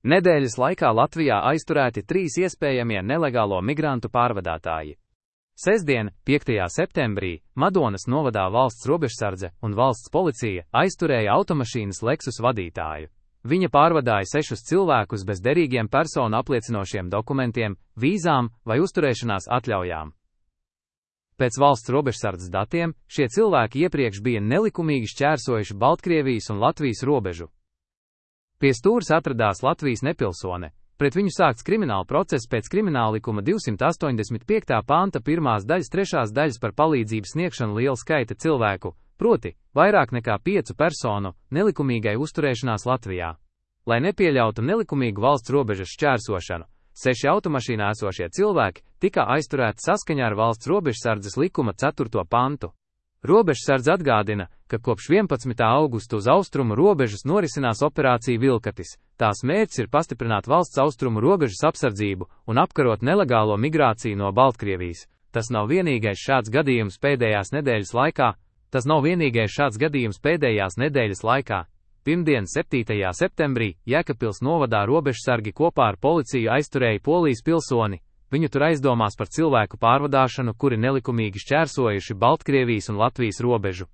Nedēļas laikā Latvijā aizturēti 3 iespējamie nelegālo migrantu pārvadātāji. Sestdien, 5. septembrī, Madonas novadā valsts robežsardze un valsts policija aizturēja automašīnas Lexus vadītāju. Viņa pārvadāja 6 cilvēkus bez derīgiem personu apliecinošiem dokumentiem, vīzām vai uzturēšanās atļaujām. Pēc valsts robežsardzes datiem, šie cilvēki iepriekš bija nelikumīgi šķērsojuši Baltkrievijas un Latvijas robežu. Pie stūres atradās Latvijas nepilsone. Pret viņu sākts krimināla process pēc Krimināllikuma 285. panta 1. daļas 3. daļas par palīdzības sniegšanu liela skaita cilvēku, proti, vairāk nekā 5 personu, nelikumīgai uzturēšanās Latvijā. Lai nepieļautu nelikumīgu valsts robežas šķērsošanu, 6 automašīnā esošie cilvēki tika aizturēti saskaņā ar valsts robežsardzes likuma 4. pantu. Robežsardze atgādina, ka kopš 11. augusta uz austrumu robežas norisinās operācija Vilkatis. Tās mērķis ir pastiprināt valsts austrumu robežas apsardzību un apkarot nelegālo migrāciju no Baltkrievijas. Tas nav vienīgais šāds gadījums pēdējās nedēļas laikā. Pirmdien, 7. septembrī, Jēkabpils novadā robežsargi kopā ar policiju aizturēja Polijas pilsoni. Viņu tur aizdomās par cilvēku pārvadāšanu, kuri nelikumīgi šķērsojuši Baltkrievijas un Latvijas robežu.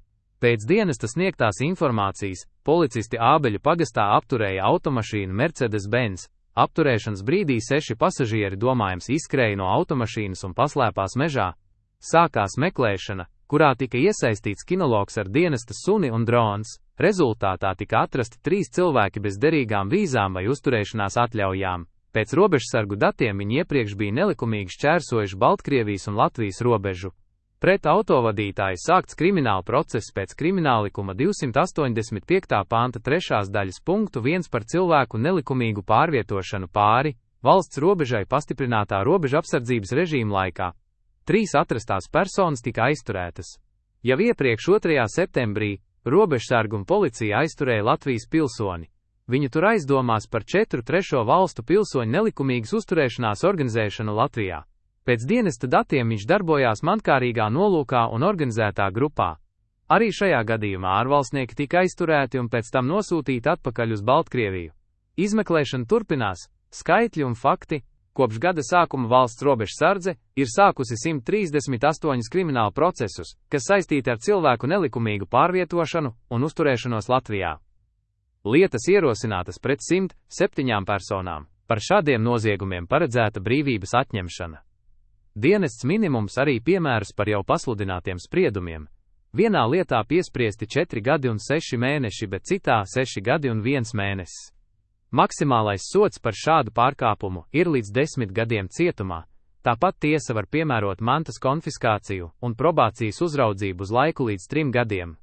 Pēc dienesta sniegtās informācijas, policisti Ābeļu pagastā apturēja automašīnu Mercedes-Benz. Apturēšanas brīdī 6 pasažieri domājams izskrēja no automašīnas un paslēpās mežā. Sākās meklēšana, kurā tika iesaistīts kinologs ar dienesta suni un drons. Rezultātā tika atrasti 3 cilvēki bez derīgām vīzām vai uzturēšanās atļaujām. Pēc robežsargu datiem viņi iepriekš bija nelikumīgi šķērsojuši Baltkrievijas un Latvijas robežu. Pret autovadītāju sākts krimināla process pēc Krimināllikuma 285. panta 3. daļas punktu 1 par cilvēku nelikumīgu pārvietošanu pāri valsts robežai pastiprinātā robeža apsardzības režīma laikā. 3 atrastās personas tika aizturētas. Jau iepriekš 2. septembrī robežsargu un policija aizturēja Latvijas pilsoni. Viņu tur aizdomās par 4 trešo valstu pilsoņu nelikumīgas uzturēšanās organizēšanu Latvijā. Pēc dienesta datiem viņš darbojās mankārīgā nolūkā un organizētā grupā. Arī šajā gadījumā ārvalstnieki tika aizturēti un pēc tam nosūtīti atpakaļ uz Baltkrieviju. Izmeklēšana turpinās. Skaitļi un fakti. Kopš gada sākuma valsts robežsardze ir sākusi 138 kriminālu procesus, kas saistīti ar cilvēku nelikumīgu pārvietošanu un uzturēšanos Latvijā. Lietas ierosinātas pret 107 personām. Par šādiem noziegumiem paredzēta brīvības atņemšana. Dienests minimums arī piemērus par jau pasludinātiem spriedumiem. Vienā lietā piespriesti 4 gadi un 6 mēneši, bet citā 6 gadi un 1 mēnesis. Maksimālais sods par šādu pārkāpumu ir līdz 10 gadiem cietumā. Tāpat tiesa var piemērot mantas konfiskāciju un probācijas uzraudzību uz laiku līdz 3 gadiem.